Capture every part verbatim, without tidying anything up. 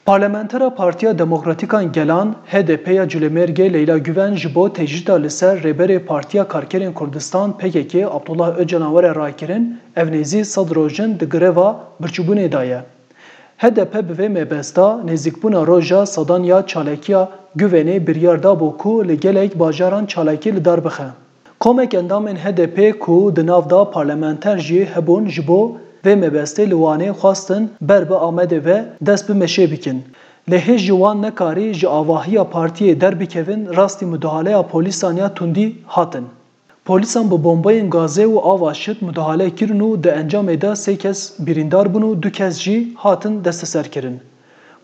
Parlamentera Partiya Demokratîk a Gelan, H D P ya Colemêrgê Leyla Guven ji bo tecrîda li ser Rêberê Partiya Karkerên Kurdistan, P K K, Abdullah Ocalan were rakirin, ev nêzî sed rojin di greva birçîbûnê de ye. H D P bi vê mebesta nêzîkbûna roja sedan ya çalakiya Guvenê biryar dabû ku li gelek bajaran çalakî li dar bixe. Komek endamên H D P ku di nav de parlamenter jî hebûn, ji bo vê mebestê li Wanê xwestin ber bi Amedê ve dest bi meşê bikin. Lê hêj ji wan nekarî ji avahiya partiyê derbikevin, rastî mudahaleya polîsan ya tundî hatin. Polîsan bi bombayên gazê û ava şit mudahale kirin û di encamê de sê kes birîndar bûn û du kes jî hatin desteserkirin.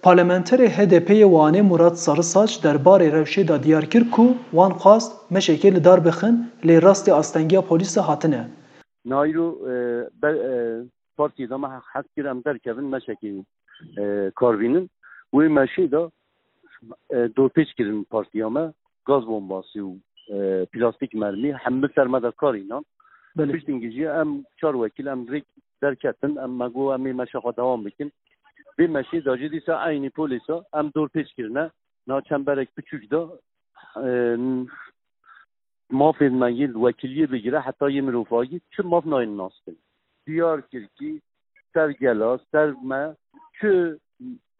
Parlamenterê H D P'ê yê Wanê Murat Sarısaç der barê rewşê de diyar kir ku wan xwest meşekê li dar bixin, lê rastî astengiya polîsa hatine. Nayro, e, be, e, partiyê de me hez kir em derkevin meşekê, e, kar bînin. Wê meşê de, e, dorpêç kirin partiya me, gaz bombasî û, e, plastîk mermî, hemî ser me de kar înan. Belê. Piştî jî em çar wekîl em rêk derketin, em me got em ê meşa xwe dewam bikin. Vê meşê de jî dîsa eynî polîsa em dorpêç kirine. Na çemberek piçûk de, e, mafên me yên wekîliyê bigire heta yê mirovahiyê çi maf nayên naskin. Diyar kir kî ser gela, ser me çi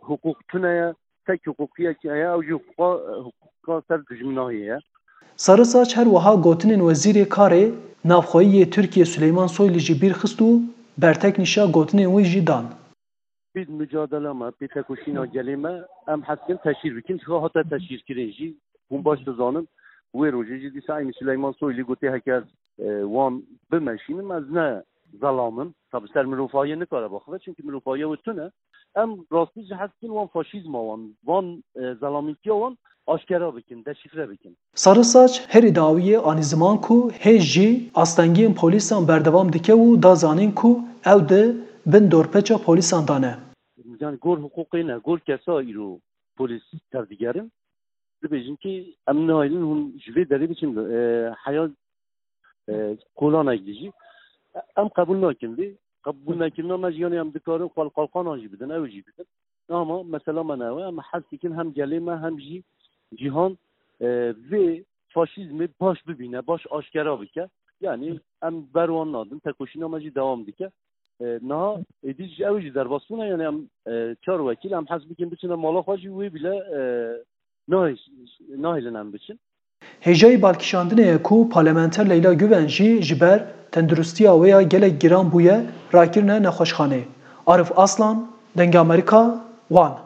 hiqûq tune ye, tek hiqûqiyek heye, ew jî hiqûqa, hiqûqa ser dijminahiyê ye. Sarısaç her wiha gotinên Wezîrê Karê Navxweyî yê Tirkiyê Süleyman Soylu jî bîr xist û bertek nîşa gotinên wî jî dan. Pê mucadela me, pê tekoşîna gelê me, em hez dikin teşhîr bikin. Çiqa hate teşhîrkirin jî, hûn baş dizanin, wê rojê jî dîsa eynî Süleyman Soylu gotê, heke ez, e, wan bimeşînim, ez ne zelam im. Tabi ser mirovahiyê nikare biaxive, çimkî mirovahiyê wê tune. Em rastî jî hez dikin wan faşîzma wan, van, e, zelamîtiya wan aşkera bikin, deşîfre bikin. Sarısaç herî dawiyê anî ziman ku hêj jî astengiyên polîsan berdewam dike û da zanîn ku ew di bin dorpêça polîsan de ne. Yani gor hiqûqê ne, gor kesa îro polîs tevdigerin. Dibêjin ki em nahêlin hûn ji vê derê biçin, e, heya, e, kolanek dijî. Em qebûl nakin vê. Qebûl nekirina me jî, yani em dikarin xwe li qalqanan jî bidin, ew jî bidin. Ama mesela me ne ew e, em hez dikin hem gelê me hem jî cîhan, e, vê faşîzmê baş bibîne, baş aşkera bike. Yani em ber wan nadin, tekoşîna me jî dewam dike. E, niha êdî jî ew jî derbas bûne, yani em, e, çar wekîl em hez bikin biçine mala xwe jî wê bîle, e, nahê-, nahêlin em biçin. Hêjayî balkişandinê ye ku parlamenter Leyla Guven jî ji ber tenduristiya wê ya gelek giran bûye rakirine nexweşxanê. Arif Aslan, Dengê Amerîka, Wan.